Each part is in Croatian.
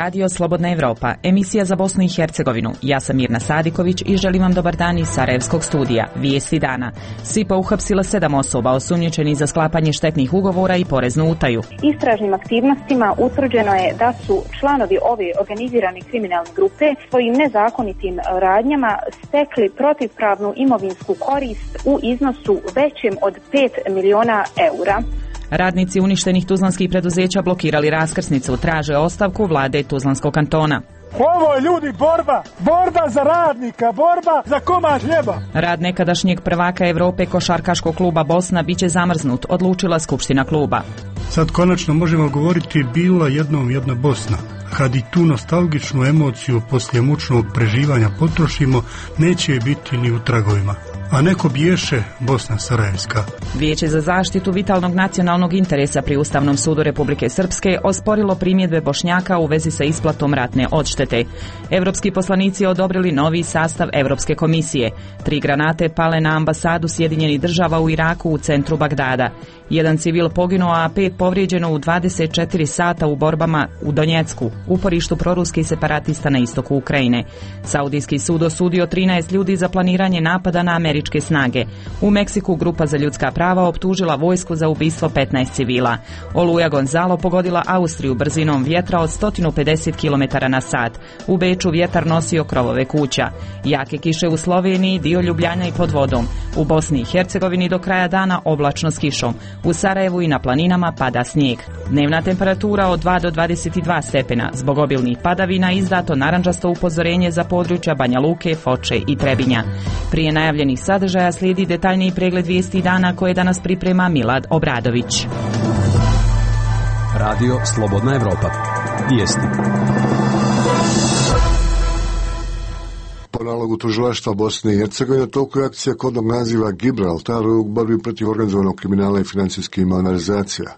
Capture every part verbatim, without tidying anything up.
Radio Slobodna Evropa, emisija za Bosnu i Hercegovinu. Ja sam Mirna Sadiković i želim vam dobar dan iz Sarajevskog studija. Vijesti dana. S I P A uhapsila sedam osoba osumnjičenih za sklapanje štetnih ugovora i poreznu utaju. Istražnim aktivnostima utvrđeno je da su članovi ove organizirane kriminalne grupe svojim nezakonitim radnjama stekli protivpravnu imovinsku korist u iznosu većem od pet miliona eura. Radnici uništenih tuzlanskih preduzeća blokirali raskrsnicu, traže ostavku vlade Tuzlanskog kantona. Ovo je ljudi borba, borba za radnika, borba za komad hljeba. Rad nekadašnjeg prvaka Evrope košarkaškog kluba Bosna biće zamrznut, odlučila skupština kluba. Sad konačno možemo govoriti bila jednom jedna Bosna. Kad i tu nostalgičnu emociju poslije mučnog preživanja potrošimo, neće je biti ni u tragovima. A neko biješe Bosna Sarajevska. Vijeće za zaštitu vitalnog nacionalnog interesa pri Ustavnom sudu Republike Srpske osporilo primjedbe Bošnjaka u vezi sa isplatom ratne odštete. Evropski poslanici odobrili novi sastav Evropske komisije. Tri granate pale na ambasadu Sjedinjenih država u Iraku u centru Bagdada. Jedan civil poginuo, a pet povrijeđeno u dvadeset četiri sata u borbama u Donjecku, uporištu proruskih separatista na istoku Ukrajine. Saudijski sud osudio trinaest ljudi za planiranje napada na američke snage. U Meksiku grupa za ljudska prava optužila vojsku za ubistvo petnaest civila. Oluja Gonzalo pogodila Austriju brzinom vjetra od sto pedeset kilometara na sat. U Beču vjetar nosio krovove kuća. Jake kiše u Sloveniji, dio Ljubljana i pod vodom. U Bosni i Hercegovini do kraja dana oblačno s kišom. U Sarajevu i na planinama pada snijeg. Dnevna temperatura od dva do dvadeset dva stepena. Zbog obilnih padavina izdato narandžasto upozorenje za područja Banja Luke, Foče i Trebinja. Prije najavljenih sadržaja slijedi detaljniji pregled vijesti dana koje danas priprema Milad Obradović. Radio Slobodna Evropa. Vijesti. Po nalogu tužilaštva Bosne i Hercegovine toliko je akcija kodnog naziva Gibraltar u borbi protiv organizovanog kriminala i financijskih malverzacija.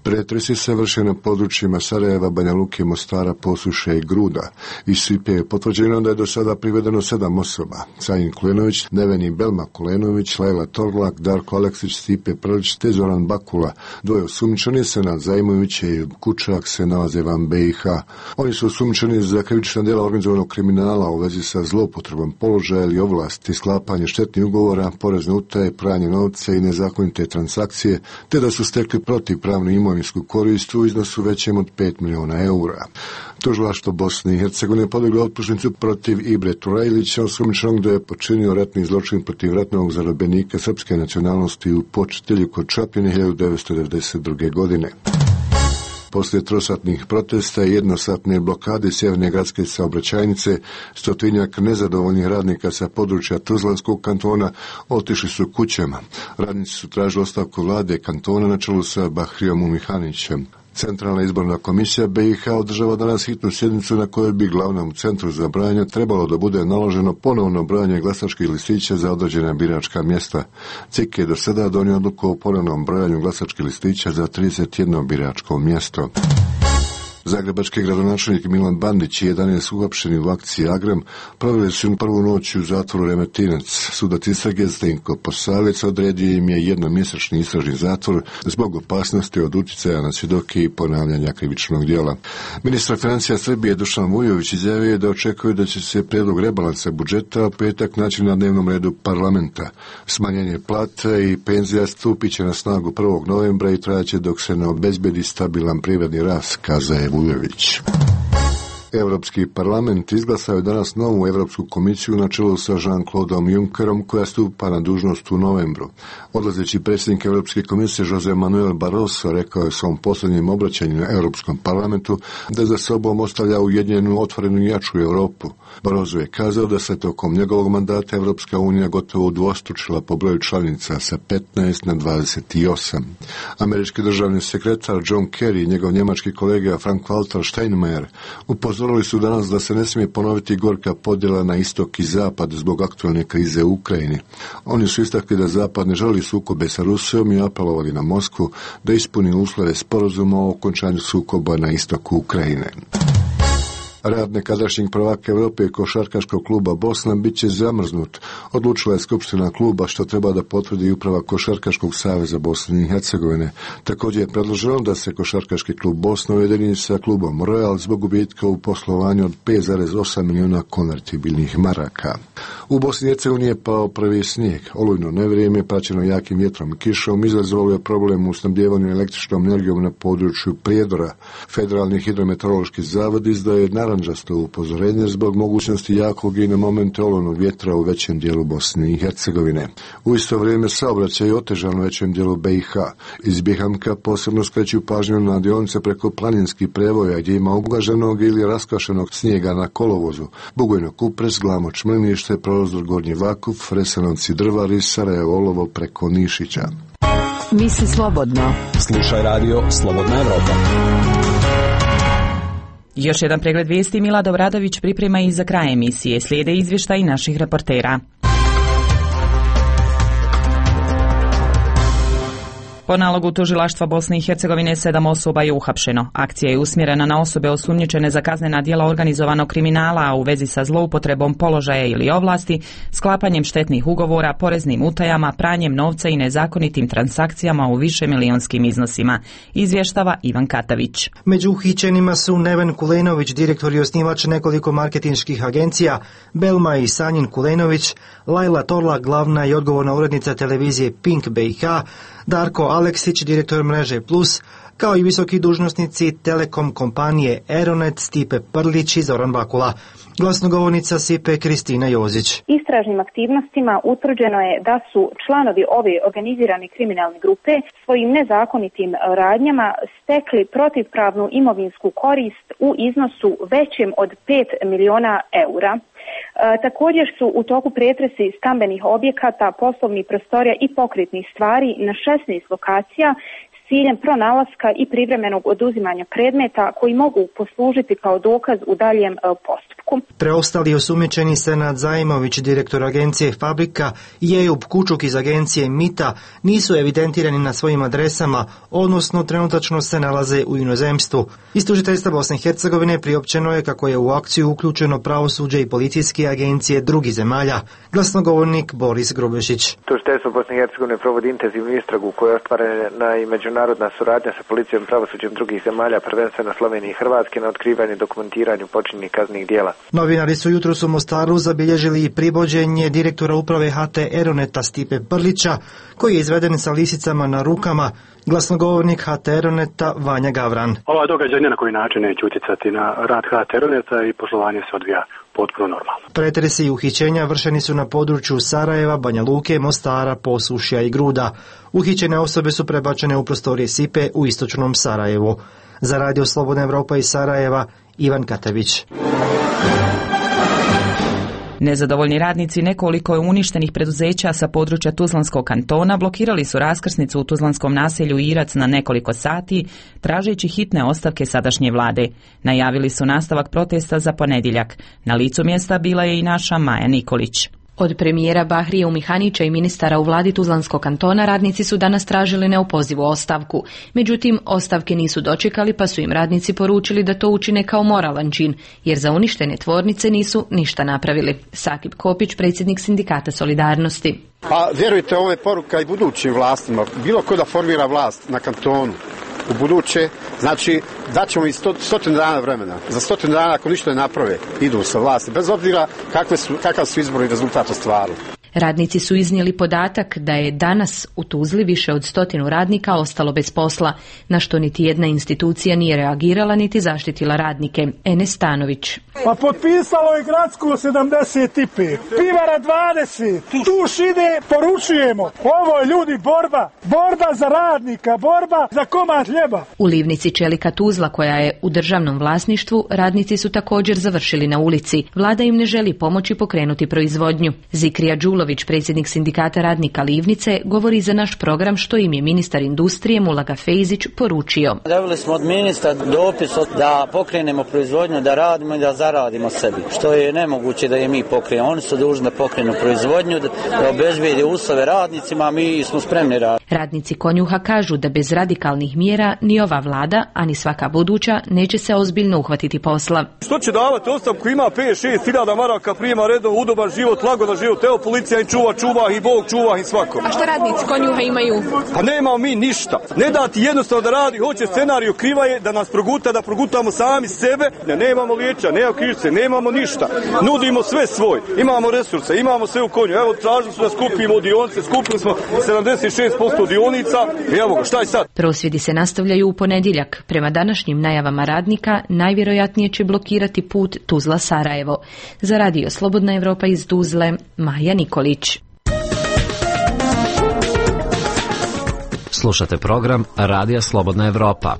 Pretresi se vrše na područjima Sarajeva, Banja Luke, Mostara, Posuše i Gruda. Iz S I P A je potvrđeno da je do sada privedeno sedam osoba. Sajin Kulenović, Neveni Belma Kulenović, Lajla Torlak, Darko Aleksić, Stipe Prlić te Zoran Bakula. Dvoje osumnjičeni, Senad Zajmović i Kučak, se nalaze van B i H. Oni su osumnjičeni za krivična djela organizovanog kriminala u vezi sa zloupotrebom položaja ili ovlasti, sklapanje štetnih ugovora, porezne utaje, pranje novca i nezakonite transakcije, te da su stekli protivpravnu imovinsku korist u iznosu većem od pet miliona eura. Tužilaštvo Bosne i Hercegovine podiglo optužnicu protiv Ibre Turajlića, osumnjičenog da je počinio ratni zločin protiv ratnog zarobljenika srpske nacionalnosti u Počitelju kod Čapljine hiljadu devetsto devedeset druge. godine. Poslije trosatnih protesta i jednosatne blokade sjeverne gradske saobraćajnice, stotinjak nezadovoljnih radnika sa područja Tuzlanskog kantona otišli su kućama. Radnici su tražili ostavku vlade kantona na čelu sa Bahrijom Umihanićem. Centralna izborna komisija B i H održava danas hitnu sjednicu na kojoj bi glavnom centru za brojanje trebalo da bude naloženo ponovno brojanje glasačkih listića za određena biračka mjesta. C I K je do sada donio odluku o ponovnom brojanju glasačkih listića za trideset jedno biračko mjesto. Zagrebački gradonačelnik Milan Bandić i jedanaest uhapšeni u akciji Agram proveli su prvu noć u zatvoru Remetinac. Sudac istrage Zdenko Posavec odredio im je jednomjesečni istražni zatvor zbog opasnosti od utjecaja na svjedoke i ponavljanja krivičnog djela. Ministar financija Srbije Dušan Vujović izjavio je da očekuje da će se prijedlog rebalansa budžeta u petak naći na dnevnom redu parlamenta. Smanjenje plata i penzija stupit će na snagu prvog novembra i trajaće dok se ne obezbedi stabilan privredni rast, kazao je Vujović. Europski parlament izglasao je danas novu Europsku komisiju na čelu sa Jean-Claudeom Junckerom koja stupa na dužnost u novembru. Odlazeći predsjednik Europske komisije Jose Manuel Barroso rekao je u svom posljednjem obraćanju na Europskom parlamentu da za sobom ostavlja ujedinjenu, otvorenu i jaču Europu. Barroso je kazao da se tokom njegovog mandata Europska unija gotovo udvostručila po broju članica sa petnaest na dvadeset osam. Američki državni sekretar John Kerry i njegov njemački kolega Frank-Walter Steinmeier upozorili su danas da se ne smije ponoviti gorka podjela na istok i zapad zbog aktualne krize u Ukrajini. Oni su istakli da zapad ne želi sukobe sa Rusijom i apelovali na Moskvu da ispuni uslove sporazuma o okončanju sukoba na istoku Ukrajine. Rad nekadašnjeg prvaka Europe košarkaškog kluba Bosna bit će zamrznut, odlučila je skupština kluba, što treba da potvrdi uprava Košarkaškog saveza Bosne i Hercegovine. Također je predloženo da se Košarkaški klub Bosna ujedini sa klubom Royal zbog gubitka u poslovanju od pet zarez osam milijuna konvertibilnih maraka. U Bosni i Hercegovini je pao prvi snijeg. Olujno nevrijeme, praćeno jakim vjetrom i kišom, izazvalo je problem u snabdijevanju električnom energijom na području Prijedora. Federalni hidrometeorološki zavod izdaje narančasto upozorenje zbog mogućnosti jakog i na momente olujnog vjetra u većem dijelu Bosne i Hercegovine. U isto vrijeme saobraćaj je otežan u većem dijelu B i H. Iz Bihamka posebno skreću pažnju na dionice preko planinskih prevoja gdje ima ublaženog ili raskašenog snijega na kolovozu. Bugojno Kupres, Glamoč, Mrnište, Prozor, Gornji Vakuf, Resanovci, Drvari, Sarajevo, Olovo preko Nišića. Misli slobodno. Slušaj radio Slobodna Evropa. Još jedan pregled vijesti Milad Obradović priprema i za kraj emisije. Slijede izvještaji naših reportera. Po nalogu tužilaštva Bosne i Hercegovine sedam osoba je uhapšeno. Akcija je usmjerena na osobe osumnjičene za kaznena djela organizovanog kriminala, a u vezi sa zloupotrebom položaja ili ovlasti, sklapanjem štetnih ugovora, poreznim utajama, pranjem novca i nezakonitim transakcijama u višemilijonskim iznosima, izvještava Ivan Katavić. Među uhićenima su Neven Kulenović, direktor i osnivač nekoliko marketinških agencija, Belma i Sanjin Kulenović, Lajla Torla, glavna i odgovorna urednica televizije Pink B i H, Darko Aleksić, direktor mreže Plus, kao i visoki dužnosnici Telekom kompanije Aeronet, Stipe Prlić i Zoran Bakula. Glasnogovornica S I P E Kristina Jozić. Istražnim aktivnostima utvrđeno je da su članovi ove organizirane kriminalne grupe svojim nezakonitim radnjama stekli protivpravnu imovinsku korist u iznosu većem od pet miliona eura. E, također su u toku pretresi stambenih objekata, poslovnih prostorija i pokretnih stvari na šesnaest lokacija s ciljem pronalaska i privremenog oduzimanja predmeta koji mogu poslužiti kao dokaz u daljem postupku. Preostali osumnjičeni Senad Zajmović, direktor agencije Fabrika, i Ejub Kučuk iz agencije Mita nisu evidentirani na svojim adresama, odnosno trenutačno se nalaze u inozemstvu. Iz tužiteljstva Bosne i Hercegovine priopćeno je kako je u akciju uključeno pravosuđe i policijske agencije drugih zemalja. Glasnogovornik Boris Grubešić. Tužiteljstvo Bosne i Hercegovine provodi intenzivnu istragu koja je ostvarena i međunarodna suradnja sa policijom i pravosuđem drugih zemalja, prvenstveno Slovenije i Hrvatske, na otkrivanju i dokumentiranju počinjenih kaznenih djela. Novinari su jutros u Mostaru zabilježili i privođenje direktora uprave H T Aeroneta Stipe Prlića, koji je izveden sa lisicama na rukama. Glasnogovornik H T Aeroneta Vanja Gavran. Ova događaj ni na koji način neće utjecati na rad H T Aeroneta i poslovanje se odvija potpuno normalno. Pretresi i uhićenja vršeni su na području Sarajeva, Banja Luke, Mostara, Posušja i Gruda. Uhićene osobe su prebačene u prostorije S I P E u istočnom Sarajevu. Za radio Slobodna Evropa iz Sarajeva, Ivan Katavić. Nezadovoljni radnici nekoliko je uništenih preduzeća sa područja Tuzlanskog kantona blokirali su raskrsnicu u tuzlanskom naselju Irac na nekoliko sati, tražeći hitne ostavke sadašnje vlade. Najavili su nastavak protesta za ponedjeljak. Na licu mjesta bila je i naša Maja Nikolić. Od premijera Bahrije Umihanića i ministara u vladi Tuzlanskog kantona radnici su danas tražili neopozivu ostavku. Međutim, ostavke nisu dočekali, pa su im radnici poručili da to učine kao moralan čin, jer za uništene tvornice nisu ništa napravili. Sakip Kopić, predsjednik sindikata Solidarnosti. Pa vjerujte, ovo je poruka i budućim vlastima. Bilo ko da formira vlast na kantonu u buduće, znači daćemo i sto, stotinu dana vremena. Za stotinu dana ako ništa ne naprave, idu sa vlasti, bez obzira kakve su, kakav su izbori rezultat ostvarili. Radnici su iznijeli podatak da je danas u Tuzli više od stotinu radnika ostalo bez posla, na što niti jedna institucija nije reagirala niti zaštitila radnike. Enes Stanović. Pa potpisalo je gradsko sedamdeset pet, pivara dvadeset, tuš ide, poručujemo. Ovo je ljudi borba, borba za radnika, borba za komad hljeba. U livnici čelika Tuzla, koja je u državnom vlasništvu, radnici su također završili na ulici. Vlada im ne želi pomoći pokrenuti proizvodnju. Zikrija Đulović, Milović, predsjednik sindikata radnika Livnice, govori za naš program što im je ministar industrije Mulaga Fejzić poručio. Dobili smo od ministra dopis da pokrenemo proizvodnju, da radimo i da zaradimo sebi, što je nemoguće da je mi pokrenemo. Oni su dužni da pokrenu proizvodnju, da obezbijede uslove radnicima, a mi smo spremni raditi. Radnici Konjuha kažu da bez radikalnih mjera ni ova vlada, a ni svaka buduća neće se ozbiljno uhvatiti posla. Što će davati ostavku, ima pet šest hiljada maraka, prijema redom, udoban život, lagodan život, evo policija i čuva, čuva i Bog čuva i svako. A što radnici Konjuha imaju? Pa nemamo mi ništa. Ne dati jednostavno da radi, hoće scenariju kriva je da nas proguta, da progutamo sami sebe, ne, nemamo liječa, nemamo krivice, nemamo ništa. Nudimo sve svoj, imamo resurse, imamo sve u konju. Evo tražili su da skupimo dionice, skupili smo sedamdeset šest posto dionica i evo ga, šta je sad? Prosvjedi se nastavljaju u ponedjeljak. Prema današnjim najavama radnika, najvjerojatnije će blokirati put Tuzla-Sarajevo. Za radio Slobodna Evropa iz Tuzle, Maja Nikolić. Slušate program Radija Slobodna Evropa.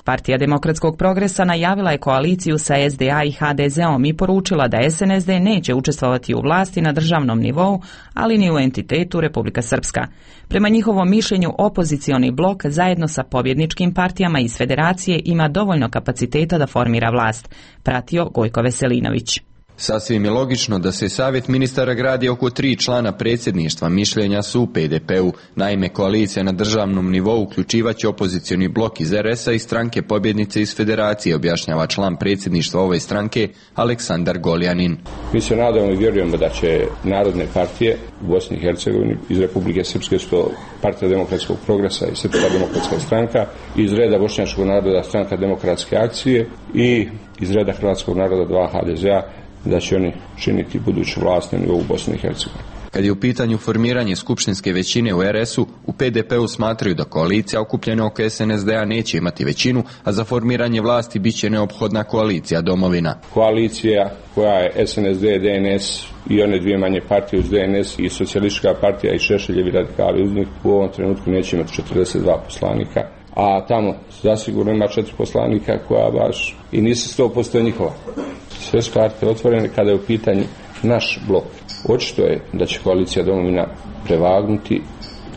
Partija demokratskog progresa najavila je koaliciju sa S D A i H D Z-om i poručila da S N S D neće učestvovati u vlasti na državnom nivou, ali ni u entitetu Republika Srpska. Prema njihovom mišljenju, opozicioni blok zajedno sa pobjedničkim partijama iz federacije ima dovoljno kapaciteta da formira vlast, pratio Gojko Veselinović. Sasvim je logično da se savjet ministara gradi oko tri člana predsjedništva, mišljenja su u P D P-u. Naime, koalicija na državnom nivou uključivaće opozicioni blok iz R S-a i stranke pobjednice iz federacije, objašnjava član predsjedništva ove stranke Aleksandar Goljanin. Mi se nadamo i vjerujemo da će narodne partije u Bosni i Hercegovini iz Republike Srpske, što Partija demokratskog progresa i Srpska demokratska stranka, iz reda Bošnjačkog naroda stranka demokratske akcije i iz reda Hrvatskog naroda dva H D Z-a, da će oni činiti buduću vlast na nivou Bosne i Hercegovine. Kad je u pitanju formiranje skupštinske većine u R S-u, u P D P-u smatraju da koalicija okupljena oko S N S D-a neće imati većinu, a za formiranje vlasti bit će neophodna koalicija domovina. Koalicija koja je S N S D, D N S i one dvije manje partije uz D N S i socijalistička partija i Šešeljevi radikali uz njih u ovom trenutku neće imati četrdeset dva poslanika, a tamo zasigurno ima četiri poslanika koja baš i nisu sto posto njihova. Sve su karte otvorene kada je u pitanju naš blok. Očito je da će koalicija domovina prevagnuti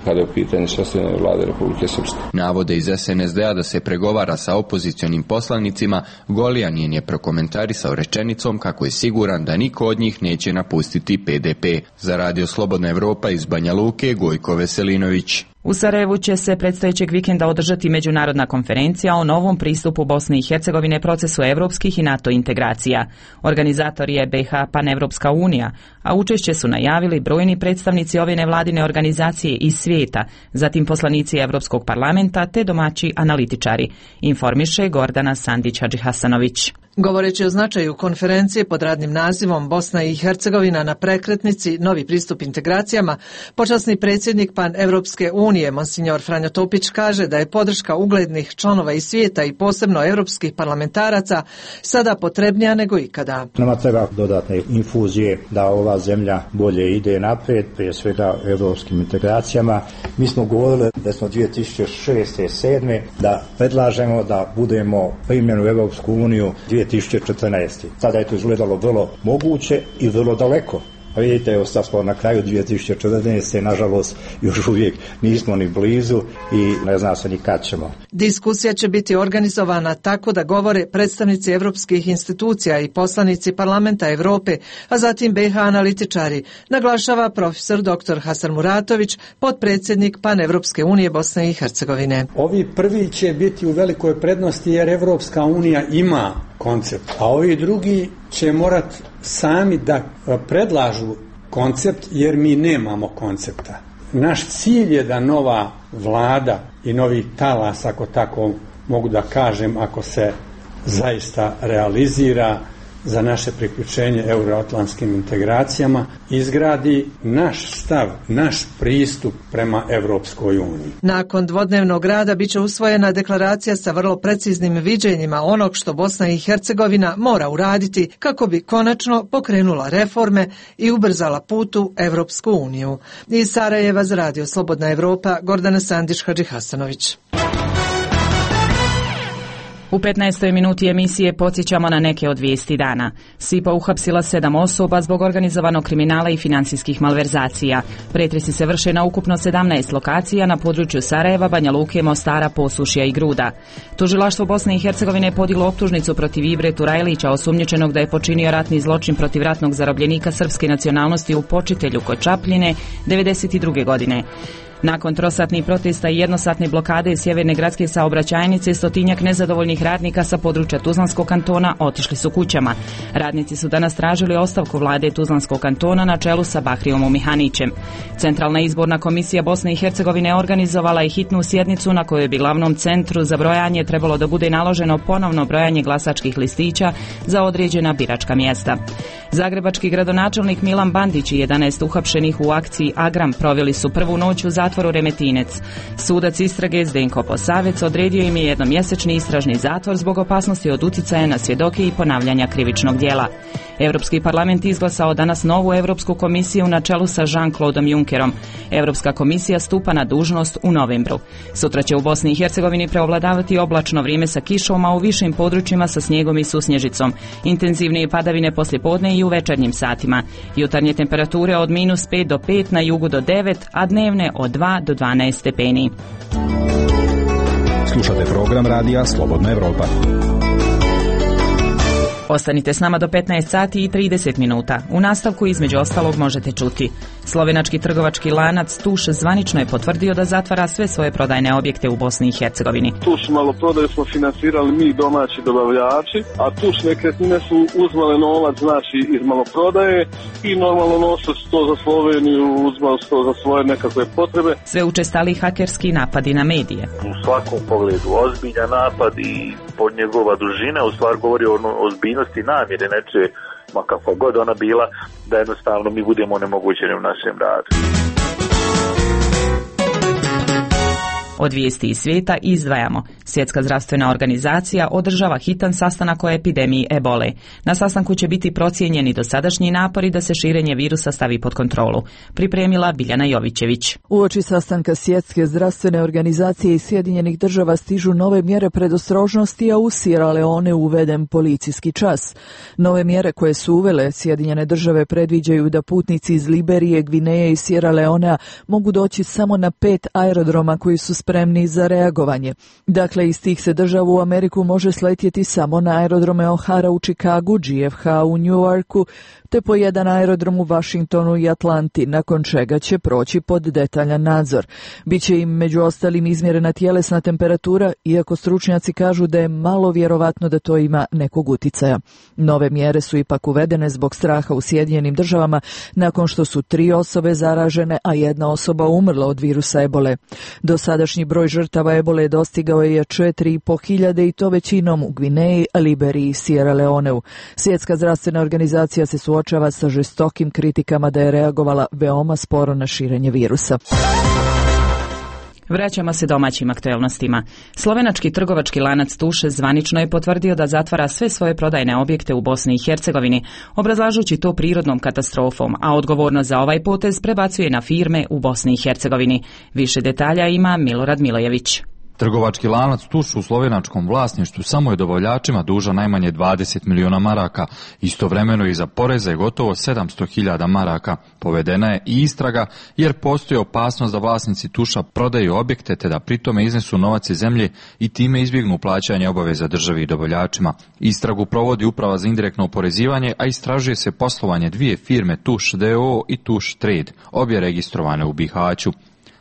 kada je u pitanju sastavljanja vlade Republike Srpske. Navode iz S N S D-a da se pregovara sa opozicionim poslanicima, Goljanin je prokomentarisao rečenicom kako je siguran da niko od njih neće napustiti P D P. Za radio Slobodna Evropa iz Banja Luke, Gojko Veselinović. U Sarajevu će se predstojećeg vikenda održati međunarodna konferencija o novom pristupu Bosne i Hercegovine procesu evropskih i NATO integracija. Organizator je B H Panevropska unija, a učešće su najavili brojni predstavnici ove nevladine organizacije iz svijeta, zatim poslanici Evropskog parlamenta te domaći analitičari, informiše Gordana Sandić-Hadžihasanović. Govoreći o značaju konferencije pod radnim nazivom Bosna i Hercegovina na prekretnici novi pristup integracijama, počasni predsjednik Pan-Evropske unije, monsignor Franjo Topić, kaže da je podrška uglednih članova iz svijeta i posebno evropskih parlamentaraca sada potrebnija nego ikada. Nama treba dodatne infuzije da ova zemlja bolje ide naprijed, prije svega evropskim integracijama. Mi smo govorili da smo dvije tisuće šeste i sedme da predlažemo da budemo primljeni u Evropsku uniju dvije tisuće četrnaeste. Sada je to izgledalo vrlo moguće i vrlo daleko. A vidite, evo sad smo na kraju dvije tisuće četrnaeste. Nažalost, još uvijek nismo ni blizu i ne zna se ni kad ćemo. Diskusija će biti organizovana tako da govore predstavnici evropskih institucija i poslanici Parlamenta Europe, a zatim B H analitičari, naglašava profesor doktor Hasan Muratović, potpredsjednik Panevropske unije Bosne i Hercegovine. Ovi prvi će biti u velikoj prednosti jer Evropska unija ima koncept, a ovi drugi će morati sami da predlažu koncept jer mi nemamo koncepta. Naš cilj je da nova vlada i novi talas, ako tako mogu da kažem, ako se zaista realizira za naše priključenje euroatlantskim integracijama, izgradi naš stav, naš pristup prema Evropskoj uniji. Nakon dvodnevnog rada biće usvojena deklaracija sa vrlo preciznim viđenjima onog što Bosna i Hercegovina mora uraditi kako bi konačno pokrenula reforme i ubrzala put u Evropsku uniju. Iz Sarajeva za radio Slobodna Evropa, Gordana Sandić-Hadžihasanović. U petnaestoj minuti emisije podsjećamo na neke od vijesti dana. S I P A uhapsila sedam osoba zbog organizovanog kriminala i financijskih malverzacija. Pretresi se vrše na ukupno sedamnaest lokacija na području Sarajeva, Banja Luke, Mostara, Posušja i Gruda. Tužilaštvo Bosne i Hercegovine je podiglo optužnicu protiv Ibre Turajlića, osumnjičenog da je počinio ratni zločin protiv ratnog zarobljenika srpske nacionalnosti u Počitelju kod Čapljine devedeset druge godine. Nakon trosatnih protesta i jednosatne blokade sjeverne gradske saobraćajnice, stotinjak nezadovoljnih radnika sa područja Tuzlanskog kantona otišli su kućama. Radnici su danas tražili ostavku vlade Tuzlanskog kantona na čelu sa Bahrijom Mihanićem. Centralna izborna komisija Bosne i Hercegovine organizovala je hitnu sjednicu na kojoj bi glavnom centru za brojanje trebalo da bude naloženo ponovno brojanje glasačkih listića za određena biračka mjesta. Zagrebački gradonačelnik Milan Bandić i jedanaest uhapšenih u akciji Agram proveli su prvu noć u zatvoru Remetinec. Sudac istrage Zdenko Posavec odredio im je jednomjesečni istražni zatvor zbog opasnosti od uticaja na svjedoke i ponavljanja krivičnog djela. Europski parlament izglasao danas novu Europsku komisiju na čelu sa Jean-Claude Junckerom. Europska komisija stupa na dužnost u novembru. Sutra će u Bosni i Hercegovini preovladavati oblačno vrijeme sa kišom, a u višim područjima sa snijegom i susnježicom. Intenzivnije padavine poslijepodne i u večernjim satima. Jutarnje temperature od minus pet do pet, na jugu do devet, a dnevne od dva do dvanaest stepeni. Slušate program radija Slobodna Evropa. Ostanite s nama do petnaest sati i trideset minuta. U nastavku između ostalog možete čuti. Slovenački trgovački lanac Tuš zvanično je potvrdio da zatvara sve svoje prodajne objekte u Bosni i Hercegovini. Tuš maloprodaju smo finansirali mi domaći dobavljači, a Tuš nekretnine su uzmale novac znači iz maloprodaje i normalno nose to za Sloveniju, uzmali to za svoje nekakve potrebe. Sve učestali hakerski napadi na medije. U svakom pogledu ozbiljan napad i pod njegova dužina u stvari govori o ozbiljnosti namjere neče, ma kakva god ona bila, da jednostavno mi budemo onemogućeni u našem radu. Od vijesti iz svijeta izdvajamo. Svjetska zdravstvena organizacija održava hitan sastanak o epidemiji ebole. Na sastanku će biti procijenjeni dosadašnji napori da se širenje virusa stavi pod kontrolu. Pripremila Biljana Jovićević. Uoči sastanka Svjetske zdravstvene organizacije i Sjedinjenih država stižu nove mjere predostrožnosti, a u Sierra Leone uveden policijski čas. Nove mjere koje su uvele Sjedinjene države predviđaju da putnici iz Liberije, Gvineje i Sierra Leonea mogu doći samo na pet aerodroma koji su spremni za reagovanje. Dakle, iz tih se država u Ameriku može sletjeti samo na aerodrome O'Hara u Chicagu, G F H u New Yorku, te po jedan aerodrom u Washingtonu i Atlanti, nakon čega će proći pod detaljan nadzor. Biće im među ostalim izmjerena tjelesna temperatura, iako stručnjaci kažu da je malo vjerovatno da to ima nekog uticaja. Nove mjere su ipak uvedene zbog straha u Sjedinjenim državama, nakon što su tri osobe zaražene, a jedna osoba umrla od virusa ebole. Dosadašnji broj žrtava ebole dostigao je četiri i po hiljade i to većinom u Gvineji, Liberiji i Sierra Leoneu. Svjetska zdravstvena organizacija se suočava sa žestokim kritikama da je reagovala veoma sporo na širenje virusa. Vraćamo se domaćim aktuelnostima. Slovenački trgovački lanac Tuš zvanično je potvrdio da zatvara sve svoje prodajne objekte u Bosni i Hercegovini, obrazlažući to prirodnom katastrofom, a odgovornost za ovaj potez prebacuje na firme u Bosni i Hercegovini. Više detalja ima Milorad Milojević. Trgovački lanac Tuš u slovenačkom vlasništvu samo je dobavljačima dužan najmanje dvadeset miliona maraka, istovremeno i za poreze gotovo sedamsto hiljada maraka. Povedena je i istraga jer postoji opasnost da vlasnici Tuša prodaju objekte te da pritome iznesu novac iz zemlje i time izbjegnu plaćanje obaveza državi i dobavljačima. Istragu provodi Uprava za indirektno oporezivanje, a istražuje se poslovanje dvije firme Tuš d o o i Tuš Trade, obje registrovane u Bihaću.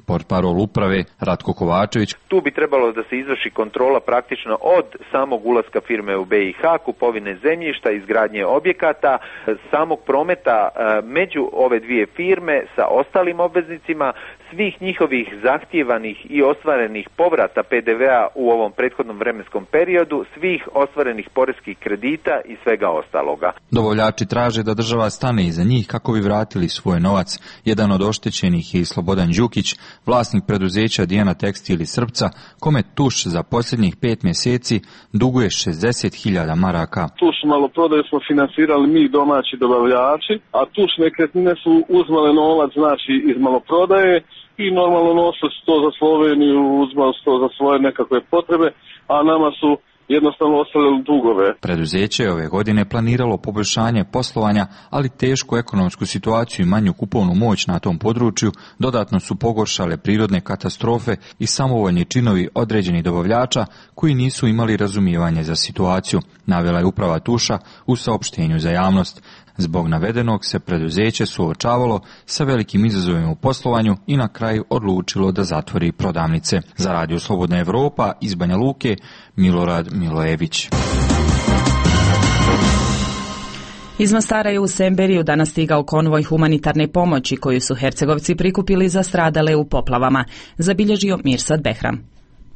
Portparol uprave Ratko Kovačević. Tu bi trebalo da se izvrši kontrola praktično od samog ulaska firme u B i H, kupovine zemljišta, izgradnje objekata, samog prometa među ove dvije firme sa ostalim obveznicima, svih njihovih zahtjevanih i ostvarenih povrata P D V-a u ovom prethodnom vremenskom periodu, svih ostvarenih poreskih kredita i svega ostaloga. Dobavljači traže da država stane iza njih kako bi vratili svoj novac. Jedan od oštećenih je i Slobodan Đukić, vlasnik preduzeća Dijana Tekstil iz Srpca, kome Tuš za posljednjih pet mjeseci duguje šezdeset hiljada maraka. Tuš maloprodaju smo finansirali mi domaći dobavljači, a Tuš nekretnine su uzmale novac znači iz maloprodaje i normalno nose to za Sloveniju, uzmali to za svoje nekakve potrebe, a nama su jednostavno ostavili dugove. Preduzeće je ove godine planiralo poboljšanje poslovanja, ali tešku ekonomsku situaciju i manju kupovnu moć na tom području dodatno su pogoršale prirodne katastrofe i samovoljni činovi određenih dobavljača koji nisu imali razumijevanje za situaciju, navela je uprava Tuša u saopštenju za javnost. Zbog navedenog se preduzeće suočavalo sa velikim izazovima u poslovanju i na kraju odlučilo da zatvori prodavnice. Za Radio Slobodna Evropa iz Banja Luke, Milorad Milojević. Iz Mostara je u Semberiju danas stigao konvoj humanitarne pomoći koju su Hercegovci prikupili za stradale u poplavama, zabilježio Mirsad Behram.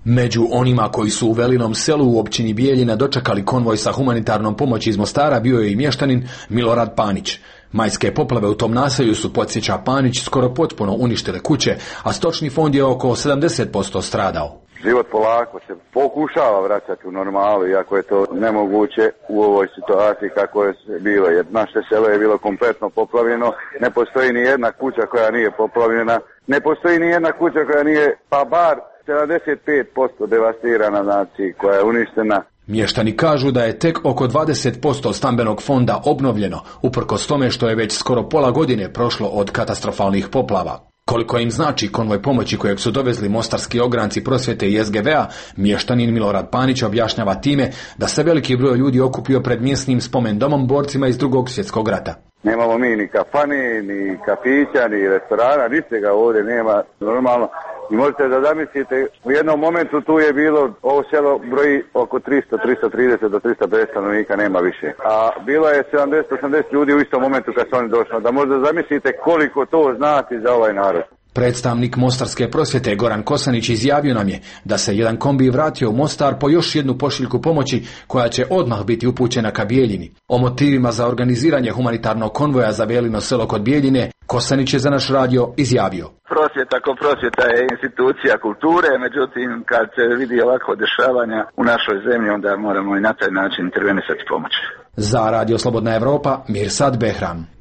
Među onima koji su u Velinom selu u općini Bijeljina dočekali konvoj sa humanitarnom pomoći iz Mostara bio je i mještanin Milorad Panić. Majske poplave u tom naselju su, podsjeća Panić, skoro potpuno uništile kuće, a stočni fond je oko sedamdeset posto stradao. Život polako se pokušava vraćati u normalu, iako je to nemoguće u ovoj situaciji kako je bilo, jer naše selo je bilo kompletno poplavljeno, ne postoji ni jedna kuća koja nije poplavljena, ne postoji ni jedna kuća koja nije, pa bar sedamdeset pet posto devastirana, znači koja je uništena. Mještani kažu da je tek oko dvadeset posto stambenog fonda obnovljeno, uprkos tome što je već skoro pola godine prošlo od katastrofalnih poplava. Koliko im znači konvoj pomoći kojeg su dovezli mostarski ogranci prosvjete i S G V-a, mještanin Milorad Panić objašnjava time da se veliki broj ljudi okupio pred mjesnim spomendomom borcima iz Drugog svjetskog rata. Nemamo mi ni kafane, ni kafića, ni restorana, ničega ovdje nema normalno. I možete da zamislite, u jednom momentu tu je bilo, ovo selo broji oko tristo, tristo trideset do tristo pedeset stanovnika, nema više. A bilo je sedamdeset osamdeset ljudi u istom momentu kad su oni došli. Da možda zamislite koliko to znači za ovaj narod. Predstavnik mostarske prosvjete Goran Kosanić izjavio nam je da se jedan kombi vratio u Mostar po još jednu pošiljku pomoći koja će odmah biti upućena ka Bijeljini. O motivima za organiziranje humanitarnog konvoja za Velino selo kod Bijeljine Kosanić je za naš radio izjavio. Prosvjeta ko prosvjeta je institucija kulture, međutim kad se vidi ovako dešavanja u našoj zemlji onda moramo i na taj način intervenisati pomoć. Za Radio Slobodna Evropa, Mirsad Behram.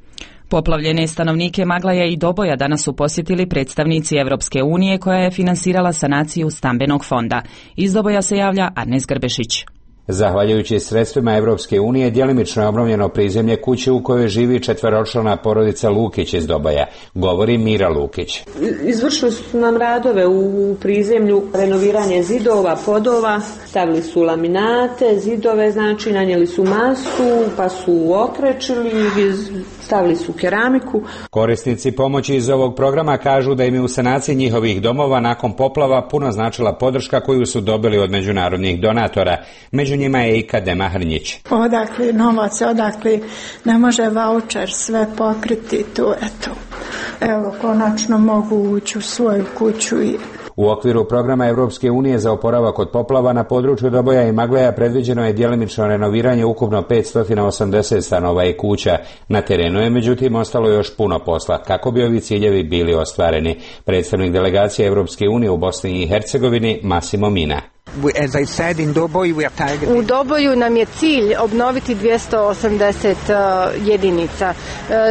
Poplavljene stanovnike Maglaja i Doboja danas su posjetili predstavnici Evropske unije koja je finansirala sanaciju stambenog fonda. Iz Doboja se javlja Arnes Grbešić. Zahvaljujući sredstvima Evropske unije, djelimično je obnovljeno prizemlje kuće u kojoj živi četveročlana porodica Lukić iz Doboja, govori Mira Lukić. Izvršili su nam radove u prizemlju, renoviranje zidova, podova, stavili su laminate, zidove, znači nanijeli su masu, pa su okrečili, stavili su keramiku. Korisnici pomoći iz ovog programa kažu da im je u sanaciji njihovih domova nakon poplava puno značila podrška koju su dobili od međunarodnih donatora. Među njima je i Kadema Hrnjić. Odakle novac, odakle ne može vaučer sve pokriti tu, eto. Evo, konačno mogu ući u svoju kuću i... U okviru programa Evropske unije za oporavak od poplava na području Doboja i Magleja predviđeno je djelimično renoviranje ukupno petsto osamdeset stanova i kuća. Na terenu je međutim ostalo još puno posla kako bi ovi ciljevi bili ostvareni. Predstavnik delegacije Evropske unije u Bosni i Hercegovini Massimo Mina. U Doboju nam je cilj obnoviti dvjesto osamdeset jedinica.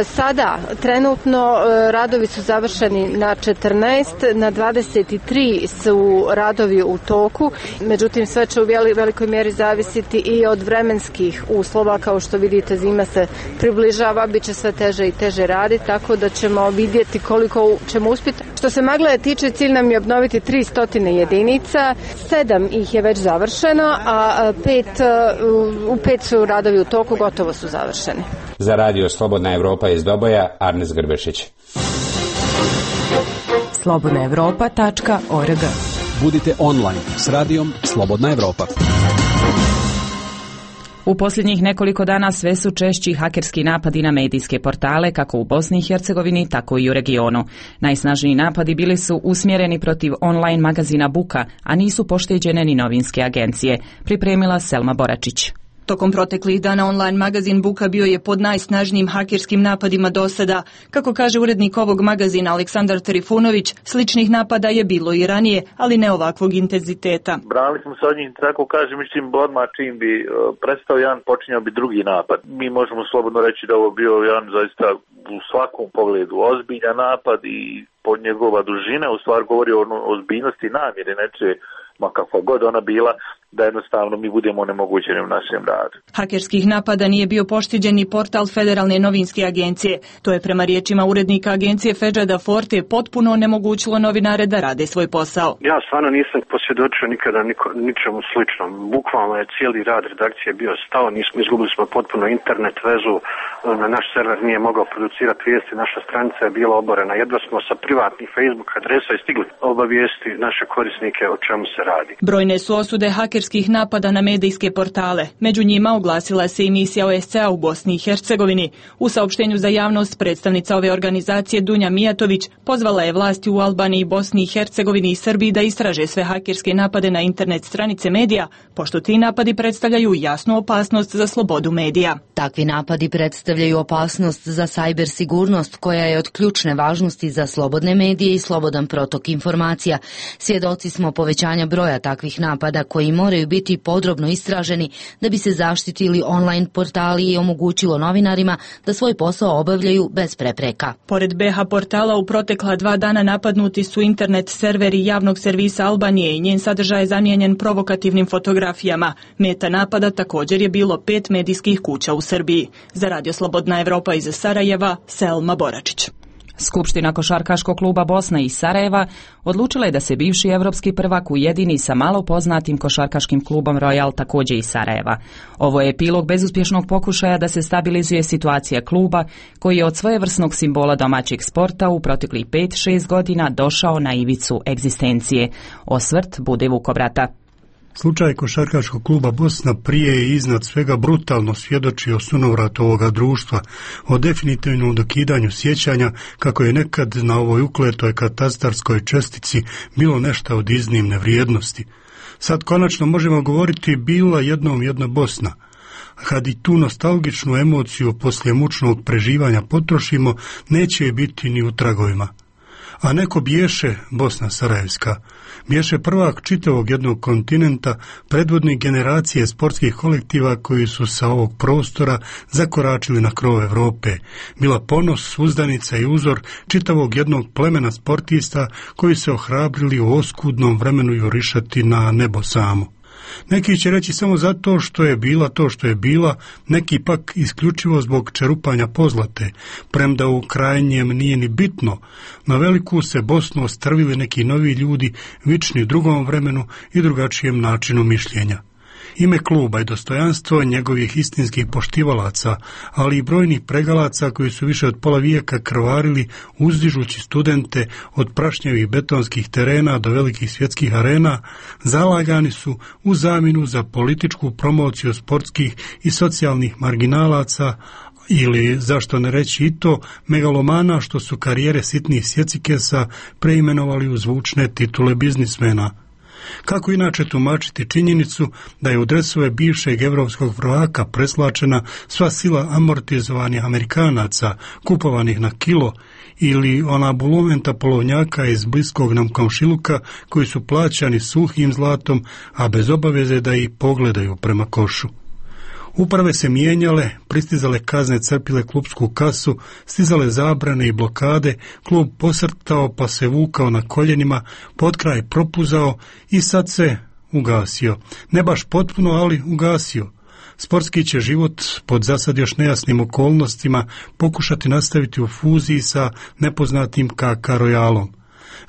Sada, trenutno, radovi su završeni na četrnaest, na dvadeset tri su radovi u toku, međutim sve će u velikoj mjeri zavisiti i od vremenskih uslova, kao što vidite zima se približava, bit će sve teže i teže raditi, tako da ćemo vidjeti koliko ćemo uspjeti. Što se Magleja tiče, cilj nam je obnoviti tristo jedinica, sedam ih je već završeno, a pet, u pet su radovi u toku, gotovo su završeni. Za Radio Slobodna Evropa iz Doboja, Arnes Grbešić. slobodna evropa tačka org. Budite online s radijom Slobodna Evropa. U posljednjih nekoliko dana sve su češći hakerski napadi na medijske portale, kako u Bosni i Hercegovini, tako i u regionu. Najsnažniji napadi bili su usmjereni protiv online magazina Buka, a nisu pošteđene ni novinske agencije, pripremila Selma Boračić. Tokom proteklih dana online magazin Buka bio je pod najsnažnijim hakerskim napadima do sada. Kako kaže urednik ovog magazina Aleksandar Trifunović, sličnih napada je bilo i ranije, ali ne ovakvog intenziteta. Branili smo se od njih, tako kažem, čim odmah čim bi prestao jedan, počinjao bi drugi napad. Mi možemo slobodno reći da ovo bio jedan zaista u svakom pogledu ozbiljan napad i pod njegova dužina u stvari govori o ozbiljnosti namjere neče, ma kakva god ona bila, da jednostavno mi budemo onemogućeni u našem radu. Hakerskih napada nije bio pošteđen ni portal Federalne novinske agencije. To je prema riječima urednika agencije Fedžada Forte potpuno onemogućilo novinare da rade svoj posao. Ja stvarno nisam posvjedočio nikada niko, ničemu sličnom. Bukvalno je cijeli rad redakcije bio stao, nismo, izgubili smo potpuno internet vezu, na naš server nije mogao producirati vijesti, naša stranica je bila oborena. Jedva smo sa privatnih Facebook adresa i stigli obavijesti naše korisnike o čemu se radi. Brojne su osude hakerskih napada na medijske portale. Među njima oglasila se i misija O S C A u Bosni i Hercegovini. U saopštenju za javnost predstavnica ove organizacije Dunja Mijatović pozvala je vlasti u Albaniji, Bosni i Hercegovini i Srbiji da istraže sve hakerske napade na internet stranice medija, pošto ti napadi predstavljaju jasnu opasnost za slobodu medija. Takvi napadi predstavljaju opasnost za sajber sigurnost koja je od ključne važnosti za slobodne medije i slobodan protok informacija. Svjedoci smo povećanja broja takvih napada koji moraju biti podrobno istraženi da bi se zaštitili online portali i omogućilo novinarima da svoj posao obavljaju bez prepreka. Pored B H portala u protekla dva dana napadnuti su internet serveri javnog servisa Albanije i njen sadržaj je zamijenjen provokativnim fotografijama. Meta napada također je bilo pet medijskih kuća u Srbiji. Za Radio Slobodna Evropa iz Sarajeva, Selma Boračić. Skupština košarkaškog kluba Bosna iz Sarajeva odlučila je da se bivši evropski prvak ujedini sa malo poznatim košarkaškim klubom Royal također iz Sarajeva. Ovo je epilog bezuspješnog pokušaja da se stabilizuje situacija kluba koji je od svojevrsnog simbola domaćeg sporta u proteklih pet šest godina došao na ivicu egzistencije. Osvrt bude Vukobrata. Slučaj košarkaškog kluba Bosna prije i iznad svega brutalno svjedoči o sunovratu ovoga društva, o definitivnom dokidanju sjećanja kako je nekad na ovoj ukletoj katastarskoj čestici bilo nešto od iznimne vrijednosti. Sad konačno možemo govoriti bila jednom jedna Bosna. Kad i tu nostalgičnu emociju poslije mučnog preživanja potrošimo, neće je biti ni u tragovima. A neko bješe Bosna Sarajevska, bješe prvak čitavog jednog kontinenta, predvodnik generacije sportskih kolektiva koji su sa ovog prostora zakoračili na krov Europe, bila ponos, uzdanica i uzor čitavog jednog plemena sportista koji se ohrabrili u oskudnom vremenu jurišati na nebo samo. Neki će reći samo zato što je bila to što je bila, neki pak isključivo zbog čerupanja pozlate, premda u krajnjem nije ni bitno. Na veliku se Bosnu ostrvili neki novi ljudi, vični drugom vremenu i drugačijem načinu mišljenja. Ime kluba i dostojanstvo njegovih istinskih poštivalaca, ali i brojnih pregalaca koji su više od pola vijeka krvarili uzdižući studente od prašnjevih betonskih terena do velikih svjetskih arena, zalagani su u zamjenu za političku promociju sportskih i socijalnih marginalaca, ili, zašto ne reći i to, megalomana što su karijere sitnih sjecikesa preimenovali u zvučne titule biznismena. Kako inače tumačiti činjenicu da je u dresove bivšeg evropskog prvaka preslačena sva sila amortizovanih Amerikanaca, kupovanih na kilo, ili ona bulumenta polovnjaka iz bliskog nam komšiluka koji su plaćani suhim zlatom, a bez obaveze da ih pogledaju prema košu. Uprave se mijenjale, pristizale kazne crpile klubsku kasu, stizale zabrane i blokade, klub posrtao pa se vukao na koljenima, potkraj propuzao i sad se ugasio. Ne baš potpuno, ali ugasio. Sportski će život pod zasad još nejasnim okolnostima pokušati nastaviti u fuziji sa nepoznatim K K Royalom.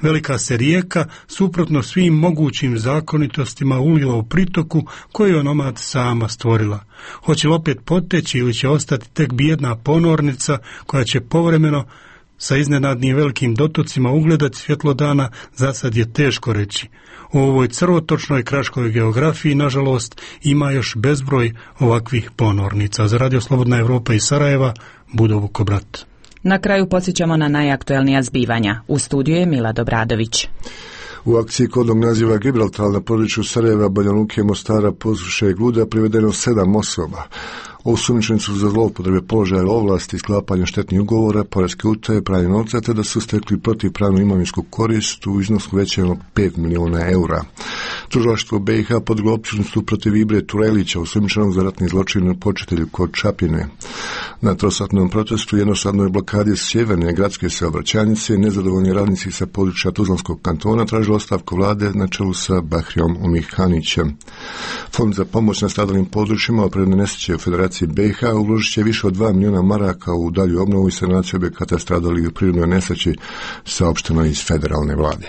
Velika se rijeka, suprotno svim mogućim zakonitostima, ulila u pritoku koju je onomad sama stvorila. Hoće li opet poteći ili će ostati tek bijedna ponornica koja će povremeno sa iznenadnim velikim dotocima ugledati svjetlo dana, za sad je teško reći. U ovoj crvotočnoj kraškoj geografiji, nažalost, ima još bezbroj ovakvih ponornica. Za Radio Slobodna Evropa iz Sarajeva, Budo Vukobrat. Na kraju podsjećamo na najaktuelnija zbivanja. U studiju je Mila Dobradović. U akciji kodnog naziva Gibraltar na području Sarajeva, Banja Luke, Mostara, Posuše i Gluda privedeno sedam osoba. Osumnjičeni su za zloupotrebe položaja ovlasti, sklapanja štetnih ugovora, poreske utaje, pranje novca, te da su stekli protivpravnu imovinsku korist u iznosu većem od pet milijuna eura. Tužilaštvo B i H podiglo optužnicu protiv Ibre Turelića, osumnjičenog za ratni zločin na početelju kod Čapljine. Na trosatnom protestu jednostavnoj blokadi sjeverne gradske saobraćajnice nezadovoljni radnici sa područja Tuzlanskog kantona tražili ostavku vlade na čelu sa Bahrijom Umihanićem. Fond za pomoć nastadalim područjima opremne nesreće u Federaciji B i H uložit će više od dva milijuna maraka u dalju obnovu i sanaciju objekata stradalih u prirodnoj nesreći, saopšteno iz federalne vlade.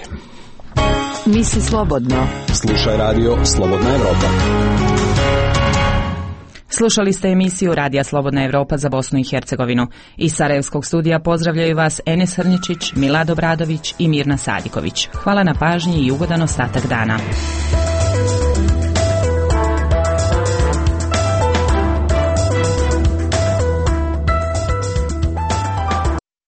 Misli slobodno. Slušaj radio Slobodna Evropa. Slušali ste emisiju Radija Slobodna Evropa za Bosnu i Hercegovinu. Iz Sarajevskog studija pozdravljaju vas Enes Hrničić, Milad Obradović i Mirna Sadiković. Hvala na pažnji i ugodan ostatak dana.